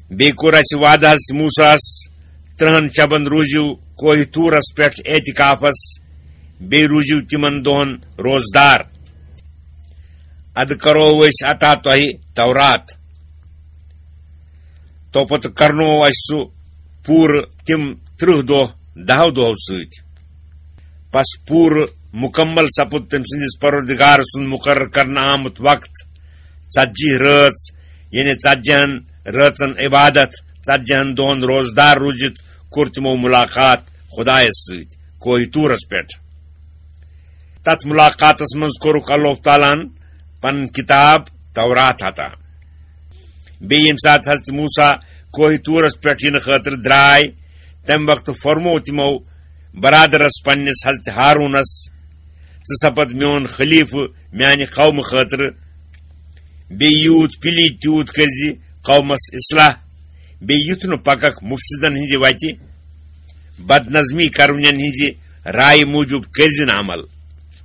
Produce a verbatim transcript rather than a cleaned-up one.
بیٚیہِ کوٚر اَسہِ وعدٕ حضرت موسیٰ ہَس، ترٛہَن شبن روٗزِو کوہِ طورس پٮ۪ٹھ اعتکافس، بیٚیہِ روٗزِو تِمن دۄہن روزدار۔ ادٕ کرو أسۍ عطا تۄہہِ تورات۔ تو پتہٕ کرنوو اَسہِ سُہ پوٗرٕ تِم ترٕٛہ دۄہ دَہو دۄہو سۭتۍ۔ پس پوٗرٕ مکمل سپُد تٔمۍ سٕنٛدِس پروردگار سُنٛد مقرر کرنہٕ آمُت وقت، ژتجی رٲژ، یعنی ژتجی ہن رٲژن عبادت، ژتجی ہن دۄہن روزدار روٗزِتھ کوٚر تِمو ملاقات خدایس سۭتۍ کوہِ طورس پٮ۪ٹھ۔ تتھ ملاقاتس منٛز کوٚرُکھ اللہ تعالیٰ ہن پنٕنۍ کتاب تورات عطا۔ بیٚیہِ ییٚمہِ ساتہٕ حضرت موسیٰ کوہِ طورس پٮ۪ٹھ یِنہٕ خٲطرٕ درٛاے، تمہِ وقتہٕ فرموو تِمو برادرس پننِس حضرت ہارونس، "ژٕ سپد میون خلیفہٕ میانہِ قومہٕ خٲطرٕ، بیٚیہِ یوٗت پِلی تیوٗت کٔرزِ قومس اصلاح، بیٚیہِ یُتھ نہٕ پککھ مفسدن ہٕنزِ وتہِ، بدنظمی کرونین ہٕنزِ رایہِ موٗجوٗب کٔرزِ نہٕ عمل۔"